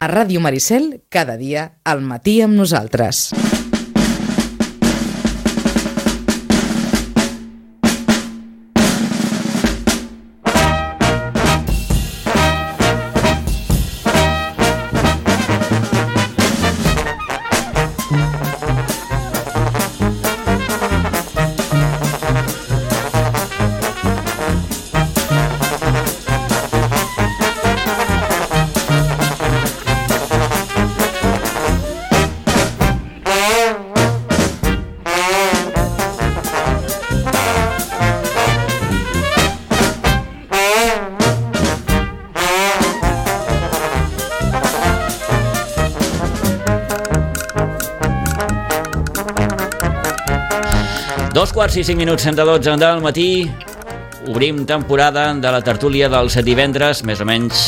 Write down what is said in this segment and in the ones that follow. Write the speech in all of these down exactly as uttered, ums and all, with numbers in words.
A Ràdio Maricel, cada dia, al matí amb nosaltres. Dos quarts i cinc minuts, trenta dotze del matí. Obrim temporada de la tertúlia dels divendres, més o menys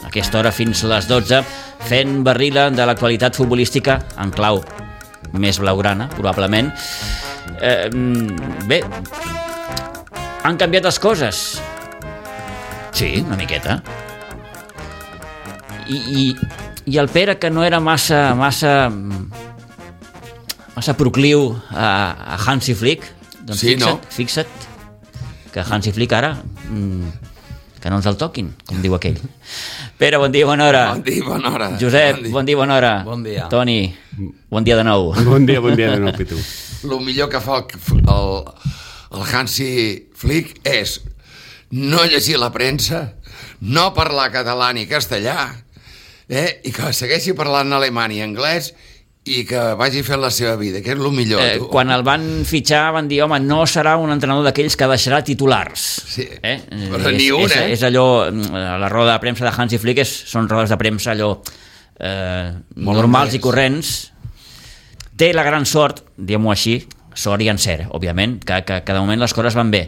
a aquesta hora fins a les dotze, fent barrila de l'actualitat futbolística en clau més blaugrana, probablement. Eh, bé, han canviat les coses. Sí, una miqueta. I, i, i el Pere, que no era massa... massa massa procliu a, a Hansi Flick, doncs sí, fixa't, no? fixa't que Hansi Flick ara mmm, que no ens el toquin, com diu aquell. Pere, bon dia, bona hora. Bon dia, bona hora. Josep, bon dia, bon dia, bona hora. Bon dia. Toni, bon dia de nou. Bon dia, bon dia de nou, Pitu. El millor que fa el, el, el Hansi Flick és no llegir la premsa, no parlar català ni castellà, eh, i que segueixi parlant alemany i anglès i que vagi fent la seva vida, que és el millor. Eh, quan el van fitxar van dir, home, no serà un entrenador d'aquells que deixarà titulars. Sí, eh? però és, ni un, és, eh? És allò, la roda de premsa de Hansi Flick és, són rodes de premsa allò eh, normals i corrents. Té la gran sort, diguem-ho així, sort i encert, òbviament, que, que, que de moment les coses van bé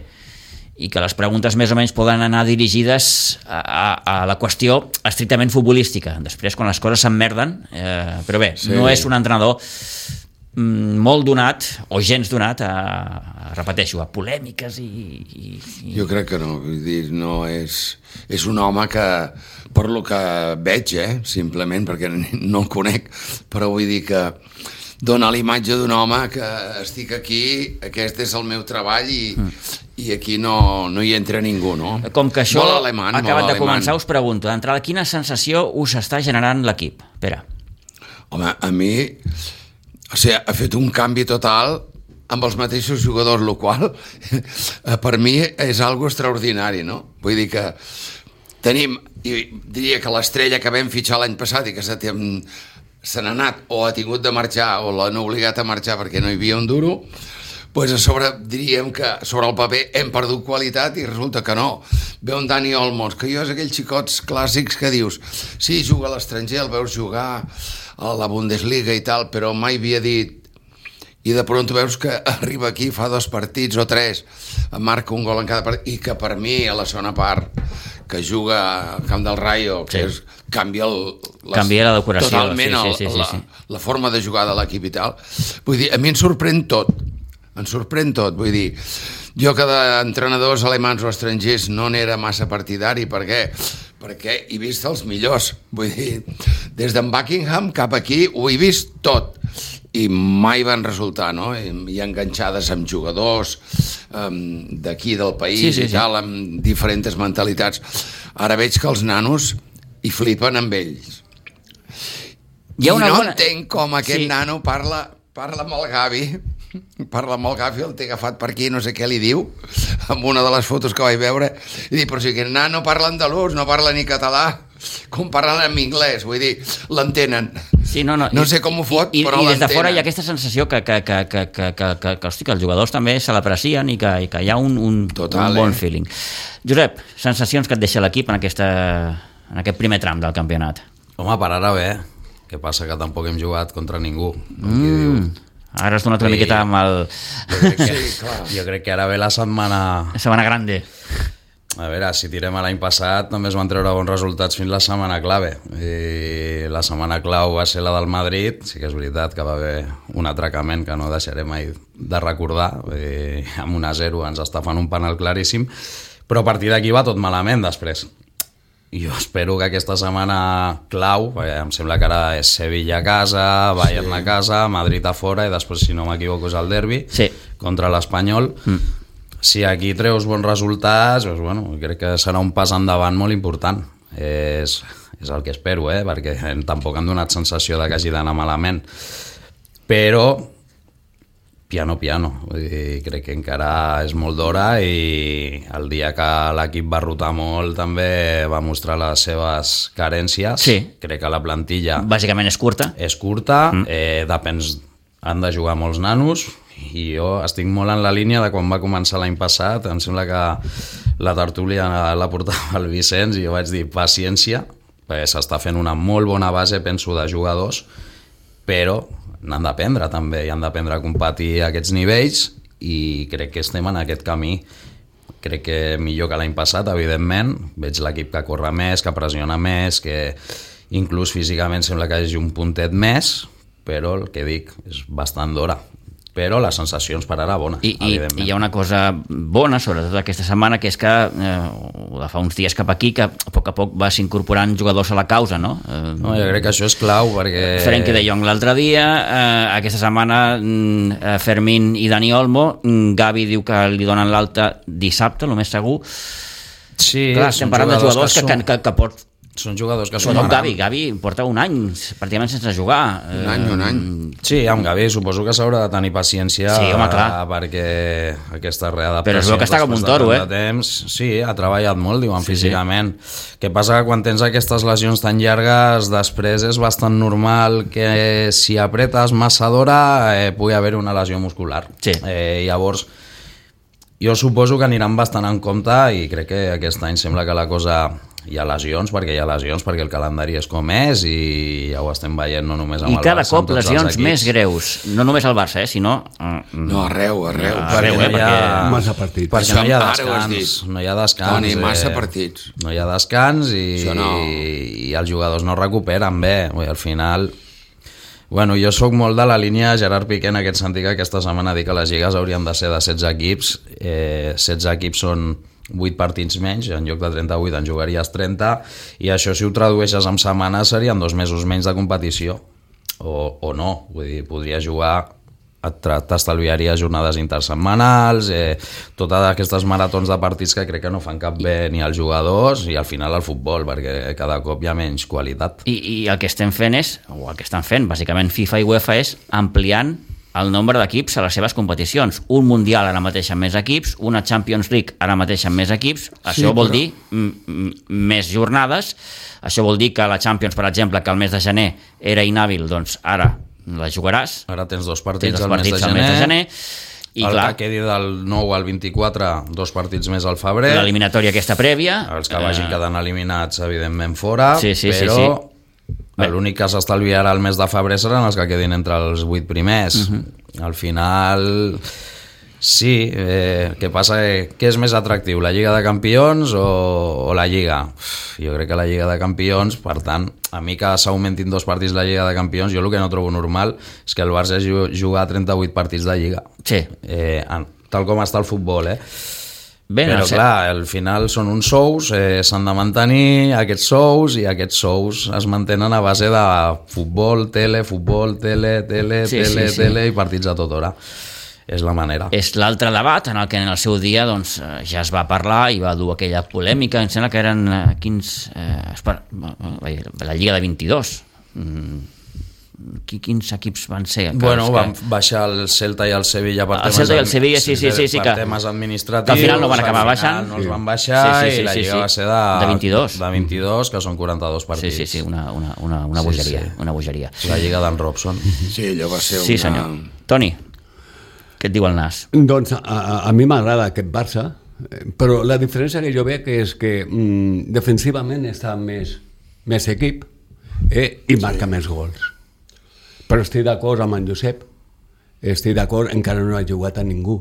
i que les preguntes més o menys poden anar dirigides a, a, a la qüestió estrictament futbolística. Després, quan les coses s'emmerden, eh, però bé, sí. No és un entrenador mm, molt donat, o gens donat, a, a, repeteixo, a polèmiques i, i, i... Jo crec que no, vull dir, no és... És un home que, per lo que veig, eh, simplement, perquè no el conec, però vull dir que dona la imatge d'un home que estic aquí, aquest és el meu treball i, mm. i aquí no, no hi entra ningú, no? Com que això alemany, ha acabat de alemany. començar, us pregunto, d'entrada, quina sensació us està generant l'equip? Pere. Home, a mi, o sigui, ha fet un canvi total amb els mateixos jugadors, el qual per mi és algo extraordinari, no? Vull dir que tenim, i diria que l'estrella que vam fitxar l'any passat i que se, se n'ha anat o ha tingut de marxar o l'han obligat a marxar perquè no hi havia un duro, pues a sobre diríem que sobre el paper hem perdut qualitat i resulta que no. Ve un Dani Olmos, que jo és aquells xicots clàssics que dius sí, juga a l'estranger, el veus jugar a la Bundesliga i tal, però mai havia dit, i de pront veus que arriba aquí, fa dos partits o tres, marca un gol en cada partit, i que per mi a la segona part que juga al camp del Rayo, que sí. és, canvia, el, les, canvia la decoració totalment sí, sí, sí, la, sí, sí. la forma de jugar de l'equip i tal. Vull dir, a mi em sorprèn tot, em sorprèn tot, vull dir, jo que d'entrenadors alemans o estrangers no n'era massa partidari, per què? Perquè he vist els millors, vull dir, des d'en Buckingham cap aquí ho he vist tot, i mai van resultar, no? Hi ha enganxades amb jugadors um, d'aquí del país sí, sí, i tal, sí. amb diferents mentalitats. Ara veig que els nanos hi flipen amb ells. I no bona... entenc com aquest sí. nano parla, parla amb el Gavi, parla amb el Gavi, el té agafat per aquí, no sé què li diu, amb una de les fotos que vaig veure, i dic, però si aquest nano parla andalús, no parla ni català, com parlen en anglès, vull dir, l'entenen. Sí, no, no, no sé com ho fot, i, però i l'entenen. I des de fora hi ha aquesta sensació que, que, que, que, que, que, que, que, hosti, que els jugadors també se l'aprecien i, que, i que hi ha un, un, Total, un bon eh? feeling. Josep, sensacions que et deixa l'equip en, aquesta, en aquest primer tram del campionat? Home, per ara bé. Què passa? Que tampoc hem jugat contra ningú. Mm. Ara has donat una I... miqueta amb el... Jo crec, que, sí, clar. jo crec que ara ve la setmana... La setmana grande. A veure, si tirem a l'any passat també es van treure bons resultats fins la setmana clave. I la setmana clau va ser la del Madrid. Sí que és veritat que va haver un atracament que no deixaré mai de recordar. I amb un a zero ens està fent un penal claríssim. Però a partir d'aquí va tot malament després. jo espero que aquesta setmana clau, perquè em sembla que ara és Sevilla a casa, Bayern sí. a casa, Madrid a fora, i després, si no m'equivoco, és el derbi sí. contra l'Espanyol. Mm. Si aquí treus bons resultats, doncs, bueno, crec que serà un pas endavant molt important. És, és el que espero, eh? Perquè tampoc han donat sensació de que hagi d'anar malament. Però piano piano, vull dir, crec que encara és molt d'hora, i el dia que l'equip va rotar molt també va mostrar les seves carències. Sí. Crec que la plantilla bàsicament és curta, és curta, mm. eh, depens, han de jugar molts nanos, i jo estic molt en la línia de quan va començar l'any passat. Em sembla que la tertúlia la portava el Vicenç i jo vaig dir paciència, perquè s'està fent una molt bona base, penso, de jugadors, però n'han d'aprendre també, i han d'aprendre a competir a aquests nivells, i crec que estem en aquest camí. Crec que millor que l'any passat, evidentment. Veig l'equip que corre més, que pressiona més, que inclús físicament sembla que hi hagi un puntet més, però el que dic és bastant d'hora. Però les sensacions per ara bones, I, evidentment. I hi ha una cosa bona, sobretot aquesta setmana, que és que eh, de fa uns dies cap aquí, que a poc a poc vas incorporant jugadors a la causa, no? Eh, no, jo crec que això és clau, perquè... Frenkie de Jong l'altre dia, eh, aquesta setmana eh, Fermín i Dani Olmo, Gavi diu que li donen l'alta dissabte, el més segur. Sí, clar, estem parlant de jugadors que, que, que, que pot... Són jugadors que són... No, Gavi, Gavi porta un any pràcticament sense jugar. Un any, un any. Sí, amb Gavi suposo que s'haurà de tenir paciència, sí, home, clar. perquè aquesta readaptació... Però es veu que està com un toro, eh? Temps, sí, ha treballat molt, diuen, sí, físicament. Sí. Què passa que quan tens aquestes lesions tan llargues, després és bastant normal que si apretes massa d'hora eh, pugui haver una lesió muscular. Sí. Eh, llavors, jo suposo que aniran bastant en compte, i crec que aquest any sembla que la cosa... Hi ha lesions, perquè hi ha lesions, perquè el calendari és com és, i ja ho estem veient no només amb I el Barça. I cada cop lesions més greus, no només al Barça, eh, sinó... No, arreu, arreu. No, arreu, eh, perquè... Massa partits. Perquè no hi ha descans, no hi ha descans. Toni, massa eh, partits. No hi ha descans, i, no. i els jugadors no recuperen bé. Al final... Bueno, jo sóc molt de la línia Gerard Piqué en aquest sentit, que aquesta setmana dic que les lligues haurien de ser de setze equips. Eh, setze equips són vuit partits menys, en lloc de trenta-vuit en jugaries trenta, i això, si ho tradueixes en setmanes, serien dos mesos menys de competició, o, o no, vull dir, podria jugar, t'estalviaria jornades intersetmanals, eh, totes aquestes maratons de partits que crec que no fan cap bé ni als jugadors i al final al futbol, perquè cada cop hi ha menys qualitat. I, i el que estem fent és, o el que estan fent, bàsicament FIFA i UEFA, és ampliant el nombre d'equips a les seves competicions. Un Mundial ara mateix amb més equips, una Champions League ara mateix amb més equips, això sí, vol però... dir m- m- més jornades, això vol dir que la Champions, per exemple, que el mes de gener era inhàbil, doncs ara la jugaràs. Ara tens dos partits, tens dos al, partits mes de al mes de gener, i el clar, que quedi del nou al vint-i-quatre, dos partits més al febrer, l'eliminatòria aquesta prèvia, els que vagin eh... quedant eliminats evidentment fora, sí, sí, però sí, sí. L'únic que s'estalviarà el mes de febrer seran els que quedin entre els vuit primers. Uh-huh. Al final, sí, eh, què passa? Eh, què és més atractiu, la Lliga de Campions o, o la Lliga? Uf, jo crec que la Lliga de Campions, per tant, a mi que s'augmentin dos partits la Lliga de Campions, jo el que no trobo normal és que el Barça jugar trenta-vuit partits de Lliga. Sí. Eh, tal com està el futbol, eh? Ben, però clar, al final són uns sous, eh, s'han de mantenir aquests sous, i aquests sous es mantenen a base de futbol, tele, futbol, tele, tele, sí, tele, sí, sí. tele i partits a tota hora. És la manera. És l'altre debat en el que en el seu dia doncs, ja es va parlar i va dur aquella polèmica, em sembla que eren eh, quins... Eh, espera, la Lliga de vint-i-dos. Mm. Quins equips van ser? Bueno, van baixar el Celta i el Sevilla per, el temes, Celta i el Sevilla, sí, sí, sí, sí, per que, temes administratius, que al final no van acabar baixant, no els van baixar, sí, sí, sí, i la Lliga sí, sí. va ser de, de vint-i-dos, de vint-i-dos, que són quaranta-dos partits. Sí, sí, sí, una, una, una, una bogeria, sí, sí. una bogeria. La Lliga d'en Robson. Sí, allò va ser una... Sí, senyor. Toni, què et diu el nas? Doncs a, a mi m'agrada aquest Barça, però la diferència que jo veig és que mm, defensivament està més, més equip eh, i marca sí. més gols. Però estic d'acord amb en Josep, estic d'acord, encara no ha jugat a ningú.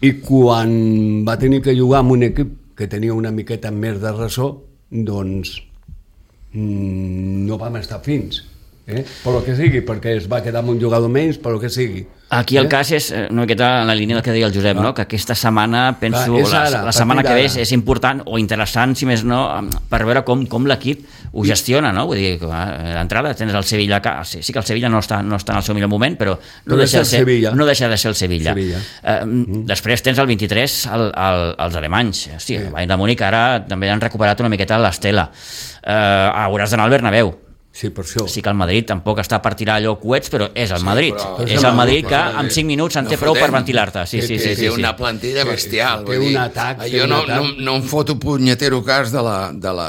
I quan va tenir que jugar amb un equip que tenia una miqueta més de ressò, doncs mmm, no vam estar fins. Eh? Per lo que sigui, perquè es va quedar amb un jugador menys, per lo que sigui. Aquí el cas és una miqueta en la línia del que deia el Josep, no? Que aquesta setmana, penso, Clar, ara, la, la setmana que ve és, ara. és important o interessant, si més no, per veure com, com l'equip ho gestiona, no? Vull dir, que d'entrada tens el Sevilla, que, sí, sí que el Sevilla no està, no està en el seu millor moment, però no, Però deixa, és de el ser, Sevilla. no deixa de ser el Sevilla. Sevilla. Eh, mm. Després tens el vint-i-tres el, el, els alemanys. Hosti, el Bayern de Múnich ara també han recuperat una miqueta l'estela. Eh, hauràs d'anar al Bernabéu. Sí, per això. Sí que el Madrid tampoc està per tirar allò coets, però és el Sí, Madrid. però- És però el Madrid no, que no, en cinc minuts en no té prou per fotem. ventilar-te. Sí, sí, sí, té sí, sí. una plantilla bestial. Té vull un dir, atac, té Jo un no, atac. no, no em foto punyetero cas de la, de la,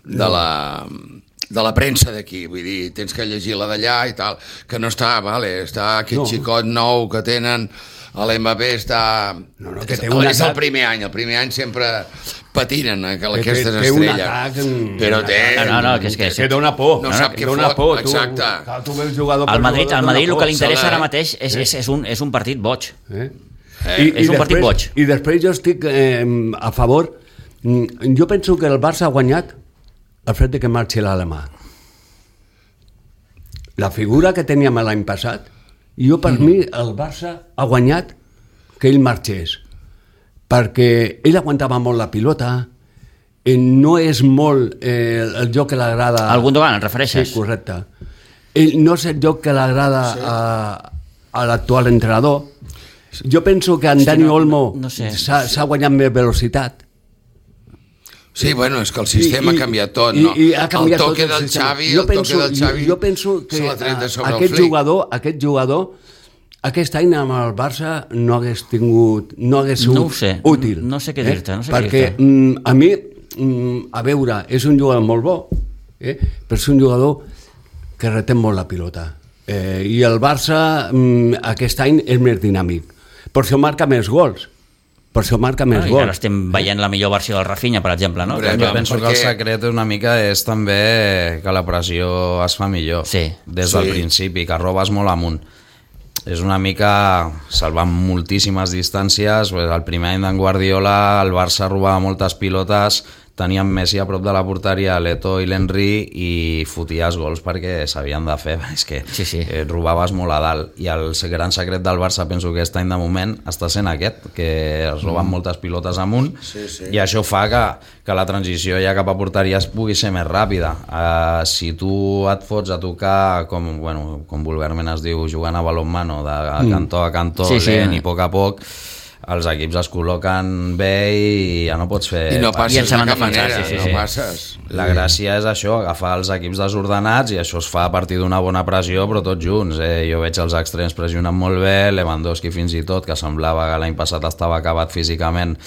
de la, de la premsa d'aquí, vull dir, tens que llegir la d'allà i tal, que no està, vale, està aquest No. xicot nou que tenen, l'M B està... No, no, que és, té un és el atac- primer any, el primer any sempre patinen eh, que té- aquestes té un estrelles. atac, mm, però un té... atac. No, no, que és que- Que dona por. No no, sap que què dona fot, por. Tu, exacte. clar, tu veus jugador per Al Madrid, jugador, al dona Madrid el por. que li interessa S'ha de- ara mateix és, és, és, un, és un partit boig. Eh? Eh, és un partit boig. I després jo estic eh, a favor. mm, Jo penso que el Barça ha guanyat el fet de que marxi l'alemà. La figura que teníem l'any passat, jo per mm. mi el Barça ha guanyat que ell marxés, perquè ell aguantava molt la pilota, eh, no és molt eh, el joc que l'agrada... Al Gundogan, et refereixes? Sí, correcte. Ell no és el joc que l'agrada sí. a, a l'actual entrenador. Jo penso que en Dani no, Olmo no sé. s'ha s'ha guanyat més velocitat. Sí, bueno, és que el sistema I- i- ha canviat tot, i- no? i ha canviat el toque tot el del sistema. Xavi, Jo el penso- toque del Xavi jo penso que se l'ha tret de sobre aquest el flic. jugador, aquest jugador aquest any amb el Barça no hagués tingut, no hagués sigut No ho sé, útil. no sé què dir-te, no sé què perquè dir-te. mm, a mi, mm, a veure, és un jugador molt bo, eh? però és un jugador que retén molt la pilota. Eh, I el Barça mm, aquest any és més dinàmic. Per això marca més gols. Per això marca més Ah, I gols. ara estem veient la millor versió del Rafinha, per exemple, no? Hombre, Que- Jo vam, penso que perquè- el secret una mica és també que la pressió es fa millor Sí. des Sí. del principi, que robes molt amunt. És una mica salvant moltíssimes distàncies. Pues, el primer any d'en Guardiola el Barça robava moltes pilotes, tenien Messi a prop de la porteria, l'Eto i l'Henry, i foties gols perquè s'havien de fer. És que Sí, sí. eh, robaves molt a dalt. I el gran secret del Barça, penso que aquest any de moment està sent aquest, que es roben mm. moltes pilotes amunt, Sí, sí. i això fa que, que la transició ja cap a porteria es pugui ser més ràpida. Uh, si tu et fots a tocar, com, bueno, com vulgarment es diu, jugant a balonmano, de Mm. cantó a cantó, Sí, sí. lent i a poc a poc, els equips es col·loquen bé i ja no pots fer... I no I passes en de saben cap defensar, manera, sí, sí, no sí. passes. La gràcia és això, agafar els equips desordenats, i això es fa a partir d'una bona pressió, però tots junts. Eh? Jo veig els extrems pressionant molt bé, Lewandowski fins i tot, que semblava que l'any passat estava acabat físicament,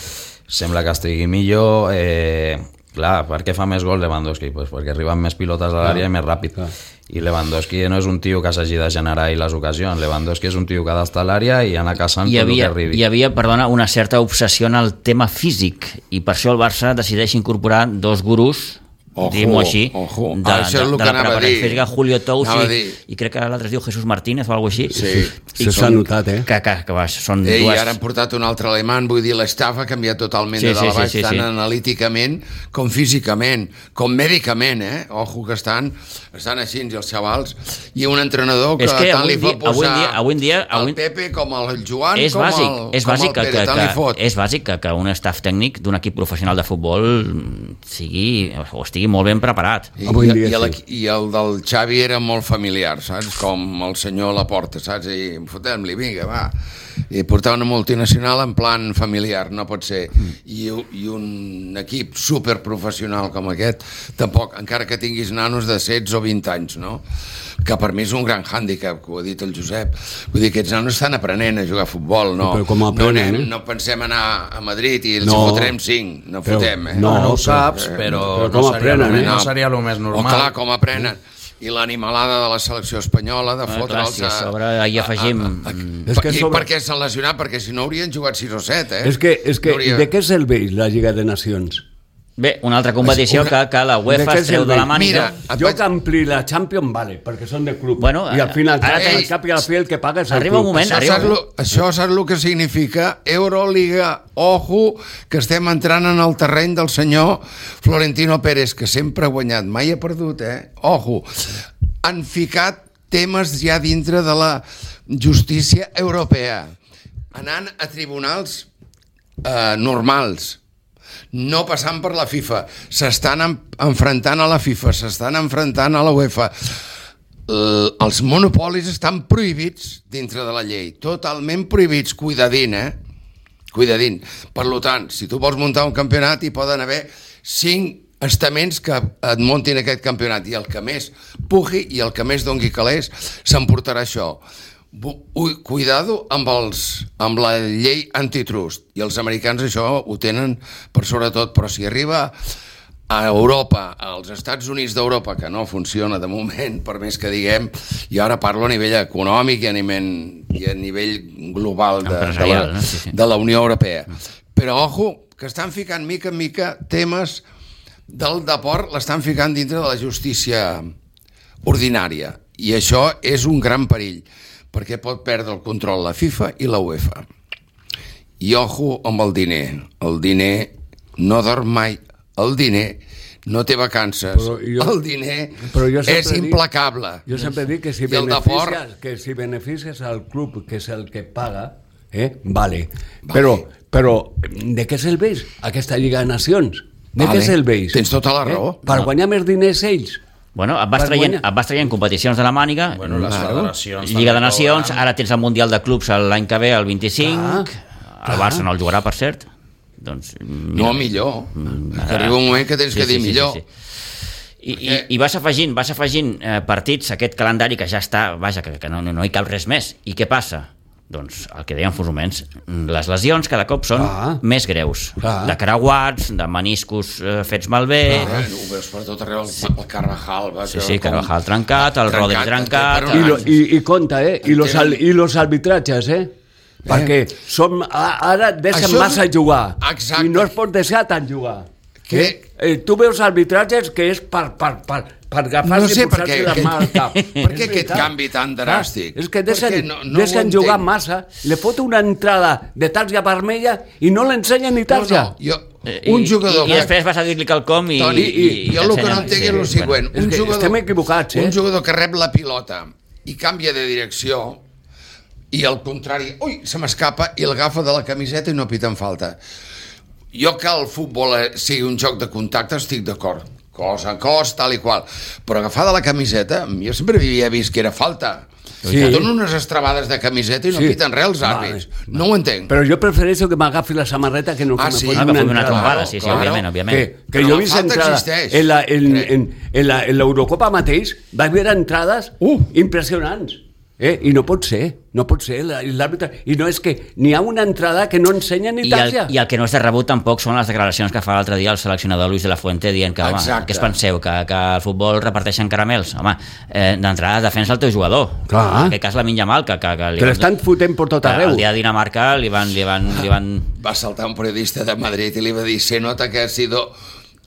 sembla que estigui millor. Eh, clar, per què fa més gol Lewandowski? Pues perquè arriben més pilotes a l'àrea i més ràpid. clar. I Lewandowski no és un tio que s'hagi de generar ahir les ocasions. Lewandowski és un tio que ha d'estar a l'àrea i anar caçant hi tot el que havia, arribi. hi havia, perdona, una certa obsessió en el tema físic, i per això el Barça decideix incorporar dos gurús, Ojo, diguem-ho així, ojo. de, Ah, això és de, el de que la anava a preparació dir. física, Julio Tous Anava a i, dir. i crec que l'altre es diu Jesús Martínez o alguna cosa així. Sí. I Això s'ha són- notat, eh? Que, que, que va, són Ei, dues... ara han portat un altre alemany, vull dir, l'estaf ha canviat totalment Sí, de dalt sí, a baix, sí, sí, tant sí. analíticament com físicament, com mèdicament, eh? Ojo que estan, estan així, i els xavals, i un entrenador que, És que tant avui li en fa dia- avui en posar dia- avui en dia- avui- el Pepe com el Joan, és com bàsic, el, és com bàsic el que, Pere, que, tant li fot. que, és bàsic que, que un staff tècnic d'un equip professional de futbol sigui, o estigui molt ben preparat. I, Avui en dia i, el, sí. I el del Xavi era molt familiar, saps? Com el senyor Laporta, saps? I fotem-li, vinga, va. I portar una multinacional en plan familiar, no pot ser. I, i un equip superprofessional com aquest, tampoc, encara que tinguis nanos de setze o vint anys, no? Que per mi és un gran hàndicap, que ho ha dit el Josep. Vull dir, aquests nanos estan aprenent a jugar a futbol, no? Però com aprenen, no, anem, eh? no pensem anar a Madrid i els No. fotrem cinc, no Però- fotem, eh? no, No, no ho però- saps, eh, però, però com no, seria aprenen, el, eh? no seria el més O normal. clar, com aprenen. I l'animalada de la selecció espanyola, de Ah, clar, fotre'ls si a sobre hi afegim- És que I sobre- per què s'han lesionat? Perquè si no haurien jugat sis o set, eh? És que, és que No hauria- de què serveix la Lliga de Nacions? Bé, una altra competició Una- que, que la De UEFA què es treu de la serveix? màniga. Mira, et Jo vaig- que ampli la Champions, vale, perquè són de club. Bueno, I al final, ara al tens- cap i al fi el que paga és el Arriba un club. moment, Això arriba saps, un lo, això saps el que significa? Euroliga, ojo, que estem entrant en el terreny del senyor Florentino Pérez, que sempre ha guanyat, mai ha perdut, eh? Ojo, han ficat temes ja dintre de la justícia europea, anant a tribunals eh, normals, no passant per la FIFA, s'estan enfrontant a la FIFA, s'estan enfrontant a la UEFA. Eh, els monopolis estan prohibits dintre de la llei, totalment prohibits, cuidadín, eh? Cuidadín. Per tant, si tu vols muntar un campionat, hi poden haver cinc estaments que et muntin aquest campionat, i el que més pugi i el que més dongui calés s'emportarà això. Cuidado amb, els, amb la llei antitrust, i els americans això ho tenen per sobretot, però si arriba a Europa, als Estats Units d'Europa, que no funciona de moment, per més que diguem, i ara parlo a nivell econòmic i a nivell, i a nivell global de, de, la, no? sí, sí. de la Unió Europea. Però, ojo, que estan ficant mica en mica temes del deport, l'estan ficant dintre de la justícia ordinària, i això és un gran perill, perquè pot perdre el control la FIFA i la UEFA. I ojo amb el diner. El diner no dorm mai. El diner no té vacances. Jo, el diner és implacable. Dic, jo sempre dic que si, beneficies, que si beneficies al club, que és el que paga, eh, vale. vale. Però, però de què serveix aquesta Lliga de Nacions? De vale. què serveix? Tens tota la raó. Eh? Per no. guanyar més diners ells? Bueno, et vas, traient, et vas traient competicions de la màniga, bueno, les federacions, Lliga de Nacions, ara tens el Mundial de Clubs l'any que ve, el vint-i-cinc, ah, el Barça no el jugarà, per cert. Doncs, mira, no, millor. Mm, arriba un moment que tens sí, que dir sí, millor. Sí, sí. I, i, I vas afegint, vas afegint eh, partits, aquest calendari que ja està, vaja, que, que no, no hi cap res més. I què passa? Doncs el que deien fa uns moments, les lesions cada cop són ah, més greus, ah. de creuats, de meniscos eh, fets malbé. Ah, ho veus per tot arreu, el, el Carvajal. Va, sí, sí, Carvajal trencat, el Rodri trencat. I, lo, i, i compte, eh? I los, al, i los arbitratges, eh? Eh? Perquè som, ara deixen Això... massa jugar. Exacte. I no es pot deixar tant jugar. Que... Eh, tu veus arbitratges que és per, per, per, per agafar-se no sé i posar-se la mà al cap. Per què aquest canvi tan dràstic? És que deixen, no, no deixen jugar massa, li fot una entrada de tarja vermella i no l'ensenyen ni tarja. No, no, jo... Un jugador I, i després vas a dir-li quelcom i... Toni, i, i, i jo el que no entenc és el següent. Un jugador, estem equivocats, eh? Un jugador que rep la pilota i canvia de direcció i al contrari, ui, se m'escapa i l'agafa de la camiseta i no piten falta. Jo que el futbol sigui un joc de contacte estic d'acord, cos a cos, tal i qual, però agafar de la camiseta, jo sempre havia vist que era falta. Sí. Que donen unes estrabades de camiseta i no sí. piten res els àrbits. Vale. No ho entenc. Però jo prefereixo que m'agafi la samarreta que no que ah, sí? me posi una, una trombada. Sí, sí, claro. òbviament, òbviament. Que, que jo he vist entrades en la, en, en, en, la, en l'Eurocopa mateix, vaig veure entrades uh. impressionants. Eh? I no pot ser, no pot ser l'àrbitre, i no és que n'hi ha una entrada que no ensenya ni tarja. I el que no és de rebut tampoc són les declaracions que fa l'altre dia el seleccionador Luis de la Fuente dient que, home, què es penseu, que, que el futbol reparteixen caramels? Home, eh, d'entrada defensa el teu jugador. Clar. En aquest cas Lamine Yamal, que, que, que, que l'estan fotent per tot arreu. El dia de Dinamarca li van, li van, li van... Va saltar un periodista de Madrid i li va dir, se nota que ha sido...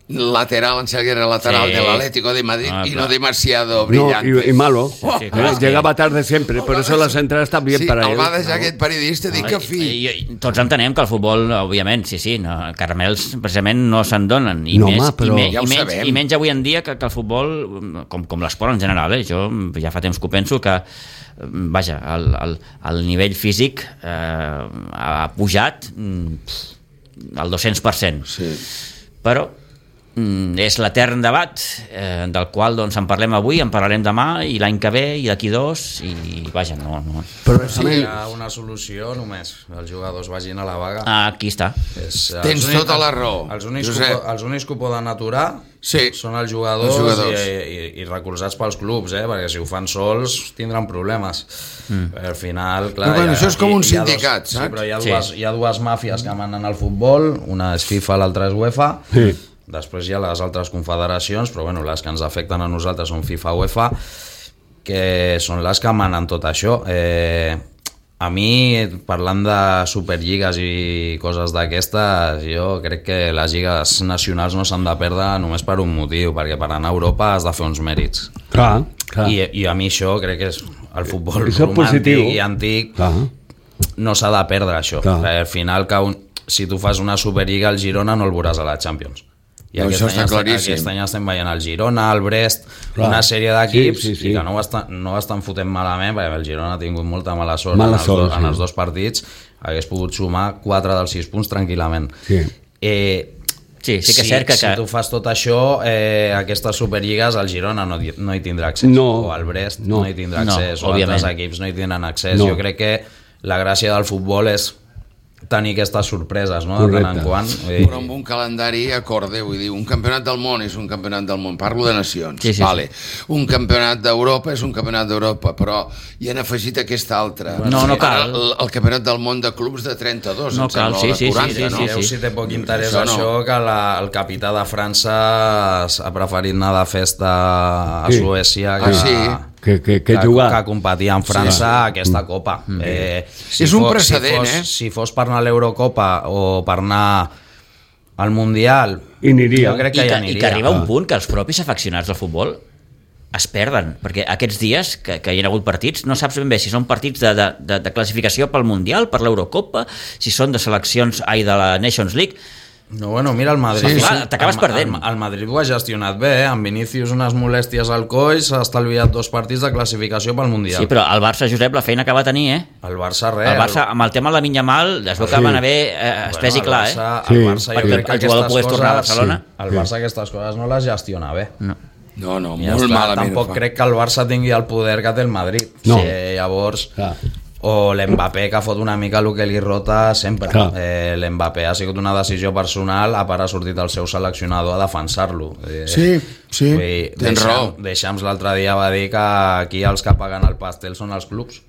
lateral, enseguida lateral sí. del Atlético de Madrid ah, y no demasiado brillante. No, y, y malo. Sí, sí, claro, eh, llegaba tarde siempre, por eso las entradas están bien sí, para él. El va deixar no. aquest periodista dir que fi. I, i, tots entenem que el futbol, òbviament, sí, sí, no, caramels precisament no se'n donen. I, no, més, home, però... i, me, ja i, menys, sabem. I menys avui en dia que, que el futbol, com, com l'esport en general, eh, jo ja fa temps que ho penso, que vaja, el, el, el nivell físic eh, ha pujat al dos-cents per cent. Sí. Però és l'etern debat eh, del qual doncs, en parlem avui, en parlarem demà i l'any que ve i d'aquí dos i vaja, no, no. Però sí, hi ha una solució només, els jugadors vagin a la vaga. Ah, aquí està. És, Tens únics, tota la raó. Els únics, que, els únics que ho poden aturar sí. són els jugadors, els jugadors. I, i, i recolzats pels clubs, eh? Perquè si ho fan sols tindran problemes. Mm. Al final, clar... Però, bueno, ha, això és com un dos, sindicat, saps? Sí, però hi ha, dues, sí. hi ha dues màfies que manen al futbol, una és FIFA, l'altra és UEFA. Sí. Després hi ha les altres confederacions, però bueno, les que ens afecten a nosaltres són FIFA i UEFA, que són les que manen tot això. Eh, a mi, parlant de superlligues i coses d'aquestes, jo crec que les lligues nacionals no s'han de perdre només per un motiu, perquè per anar a Europa has de fer uns mèrits. Clar, clar. I, i a mi això crec que és el futbol romàntic i antic, clar. No s'ha de perdre això. Al final, que un, si tu fas una superlliga, el Girona no el veuràs a la Champions. I no, aquest, això any està estem, claríssim. aquest any estem veient el Girona, el Brest, Clar. una sèrie d'equips Sí, sí, sí. i que no ho, estan, no ho estan fotent malament, perquè el Girona ha tingut molta mala sort, Mala en, els sort, do, sí. en els dos partits, hagués pogut sumar quatre dels sis punts tranquil·lament. Sí. Eh, Sí, sí que és si, cert que... si tu fas tot això, eh, aquestes superlligues, el Girona no, no hi tindrà accés, No. o el Brest No. no, hi tindrà No, accés, o òbviament. altres equips no hi tindran accés. No. Jo crec que la gràcia del futbol és tenir aquestes sorpreses, no?, de tant en Correcte. quant. Però amb un calendari acorde, vull dir, un campionat del món és un campionat del món, parlo de nacions, Sí, sí, vale. Un campionat d'Europa és un campionat d'Europa, però hi han afegit aquesta altra. No, no cal. Ara, El, el campionat del món de clubs de trenta-dos, No em cal, sembla, sí, o de sí, sí, quaranta, sí, no? sí, Mireu sí. si té poc interès Això això, no. que la, el capità de França ha preferit anar de festa a Sí. Suècia que, Ah, sí? Que, que, que que, jugar. que competir en França a aquesta Copa. Eh, És un fos- precedent, si fos, eh? Si fos per anar a l'Eurocopa o per anar al Mundial, I aniria. jo crec I que que, ja I aniria. que arriba un Ah. punt que els propis afeccionats del futbol es perden, perquè aquests dies que, que hi ha hagut partits, no saps ben bé si són partits de, de, de, de classificació pel Mundial, per l'Eurocopa, si són de seleccions, ai, de la Nations League. No, bueno, mira el Madrid. Sí, sí. T'acabes El- perdent. El, el Madrid ho ha gestionat bé, eh? Amb Vinícius unes molèsties al coll, s'ha estalviat dos partits de classificació pel Mundial. Sí, però el Barça, Josep, la feina que va tenir, eh? El Barça res. El Barça, amb el tema de la Minyamal, es veu que Sí. van haver eh, espès i el clar, Barça, eh? el Sí, Barça, jo perquè crec que el jugador aquestes pogués tornar a coses- Barcelona. Sí. El Barça aquestes coses no les gestiona bé. No. No, no, Ja molt està. malament. Tampoc ho fa. crec que el Barça tingui el poder que té el Madrid. No. Sí, llavors, Clar. o l'Mbappé, que fot una mica el que li rota sempre. Clar. Eh, L'Mbappé ha sigut una decisió personal, a part ha sortit el seu seleccionador a defensar-lo. Eh, Sí, sí, vull dir, tens Deixam- raó. Deixams l'altre dia va dir que aquí els que paguen el pastel són els clubs.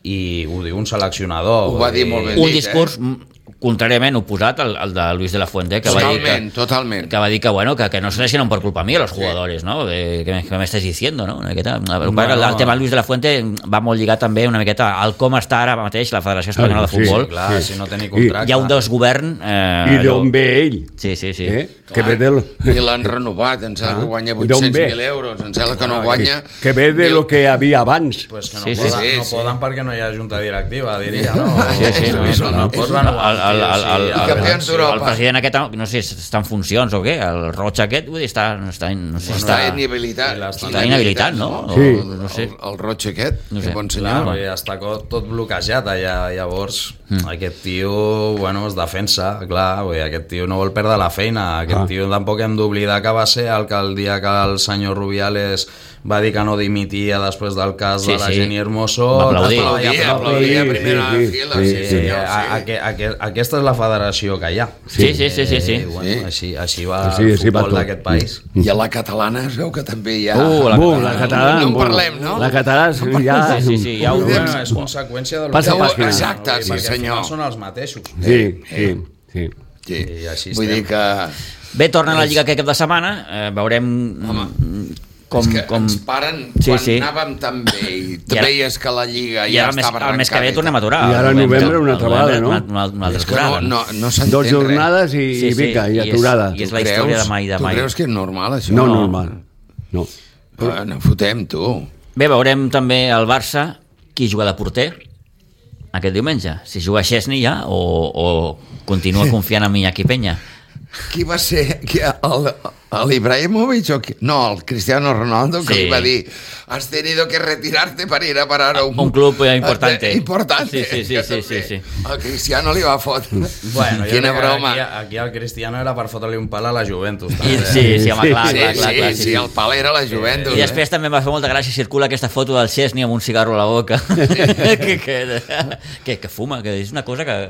I ho diu un seleccionador. Ho va vull dir molt ben Un dit, discurs eh? mm, contràriament oposat al, al de Luis de la Fuente, que va dir Totalment, que, totalment. que va dir que, bueno, que, que no se lesionan por culpa mía los jugadores, ¿no? Que, que, me, que me estàs diciendo, no? Una miqueta, bueno, Bueno, el, el tema Luis de la Fuente va molt lligat també una miqueta al com està ara mateix la Federació Espanyola de Sí, Futbol. Sí, clar, Sí. si no té ni contracte. Hi ha un desgovern... Eh, I d'on ve ell? Sí, sí, sí. Eh? Que ve del... I l'han renovat, em sembla que guanya D'on vuit-cents ve? mil euros, em sembla que no guanya... Que ve de lo que havia abans. Pues que no, Sí, sí, poden, sí, no sí. poden perquè no hi ha junta directiva, diria, no? Sí, sí, no, És no, un- no, és pots un- renovar. El, el, el, el, I el, campions el, d'Europa. el president aquest, no sé, està en funcions o què, el Roig aquest, vull dir, està, no està, no sé, Està està, inhabilitat. i l'estan- està inhabilitat, no? O, Sí. no sé. El, el Roig aquest, No no sé. sé. bon Clar, senyor. perquè ja està co- tot bloquejat allà, llavors mm. aquest tio, bueno, es defensa, clar, vull dir, aquest tio no vol perdre la feina, aquest Ah. tio tampoc hem d'oblidar que va ser el que el dia que el senyor Rubiales va dir que no dimitia després del cas Sí, de la sí. Jenny Hermoso, Va aplaudir. Aplaudia, aplaudia a Sí, primera sí, fila. sí, Sí, Sí, sí. senyor, a, a, sí. a, a, aquesta és la federació que hi ha. Sí, sí, sí, sí, sí. Eh, bueno, Sí. Així, així va Sí, el així va futbol tot. d'aquest país. I a la catalana es veu que també hi ha... Uh, la Uh, catalana. la catalana... No en bueno, parlem, no? La catalana ja... Sí, sí, sí, ja ho Podem- Bueno, és conseqüència del Passa que pàgina. Exacte, sí, perquè al senyor. final són els mateixos. Sí, sí, sí. Sí. I així Vull estem. dir que... Bé, torna a la Lliga aquest cap de setmana, eh, veurem mm, com... és que com... ens paren Sí, quan sí. anàvem tan bé i, I ara- veies que la Lliga I ja ara el mes, estava el mes que ve arrencada. tornem a aturar. I ara al novembre una altra al vegada, novembre no? Una, una altra És que no, aturada. no, no s'entén Dos res. jornades i, i pica, i és- aturada. I és Tu la història creus? de mai de Tu mai. creus que és normal, això? No, normal. No. Ah, no fotem, tu. Bé, veurem també el Barça, qui juga de porter aquest diumenge. Si juga Chesney ja o, o continua confiant en Iñaki Peña. Qui va ser? Qui, el, l'Ibrahimovic o qui? No, el Cristiano Ronaldo, que Sí. li va dir has tenido que retirarte para ir a parar a un, Un club eh, importante. importante. Sí, sí, sí, que sí, sí, també. sí. El Cristiano li va fotre. Bueno, jo Quina crec que broma. Aquí, aquí el Cristiano era per fotre-li un pal a la Juventus. I, també. sí, sí, home, Sí, clar, sí, clar, clar, sí, clar, sí, sí, el pal era la Juventus. I després també em va fer molta gràcia, circula aquesta foto del Chesney amb un cigarro a la boca que, que, que, que fuma, que és una cosa que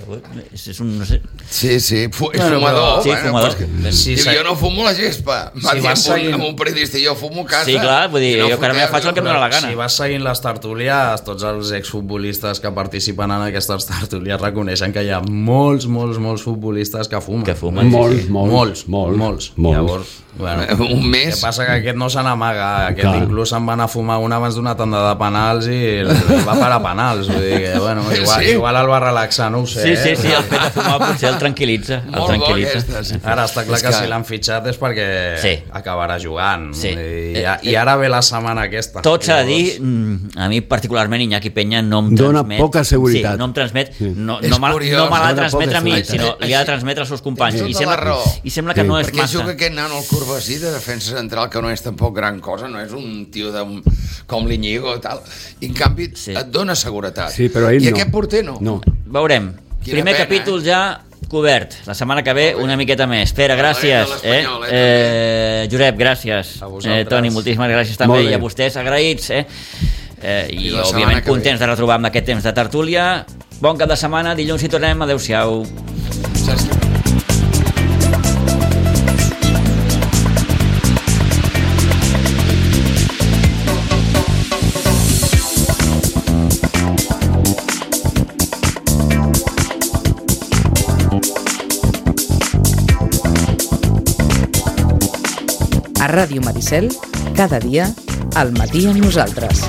és, és un, no sé, Sí, sí, fu és Bueno, fumador. però- Sí, fumador. Pues, Sí, diu, sí. jo no fumo la gespa. Va Si dir vas amb, un, seguint- amb un periodista, jo fumo a casa. Sí, clar, vull dir, I jo que ara fotem, faig el que em dóna la gana. Si vas seguint les tertúlies, tots els exfutbolistes que participen en aquestes tertúlies reconeixen que hi ha molts, molts, molts futbolistes que fumen. que fumen. Molts, sí, molts, molts, molts, molts. molts. Llavors, bueno, Un el mes. que passa que aquest no se n'amaga, aquest Clar. inclús se'n va anar a fumar una abans d'una tanda de penals i i va parar penals, vull dir que, bueno, igual, Sí. igual el va relaxar, no ho sé. Sí, sí, eh? sí, el fet de fumar potser el tranquil·litza. El Molt bo tranquil·litza. aquesta. Sí. Ara està clar És que, que- si l'han fitxat és perquè Sí. acabarà jugant. Sí. I, I ara ve la setmana aquesta. Tot s'ha de dir, mm, a mi particularment Iñaki Peña no em Dona transmet... poca seguretat. Sí, no em transmet... Sí. No, És no, me, curiós. no me l'ha de Dona transmetre poca a mi, seguretat. sinó li ha de transmetre als seus companys. Tens I tota la sembla, raó. I sembla que Sí. no és Perquè massa. juga aquest nano al Corbasí de defensa central, que no és tampoc gran cosa, no és un tio de, com l'Iñigo i tal, i en canvi Sí. et dona seguretat. Sí, però ell I no. aquest porter no. No. Veurem. Quina Primer pena, capítol eh? ja cobert. La setmana que ve una miqueta més. Pere, gràcies. de Eh? l'Espanyol, eh, Eh, Josep, gràcies. A vosaltres. Eh, Toni, moltíssimes gràcies també. Molt bé. I a vostès, agraïts. Eh? Eh, I, I la setmana òbviament, que ve. contents de retrobar amb aquest temps de tertúlia. Bon cap de setmana. Dilluns hi tornem. Adéu-siau. Saps? A Ràdio Maricel, cada dia, al matí amb nosaltres.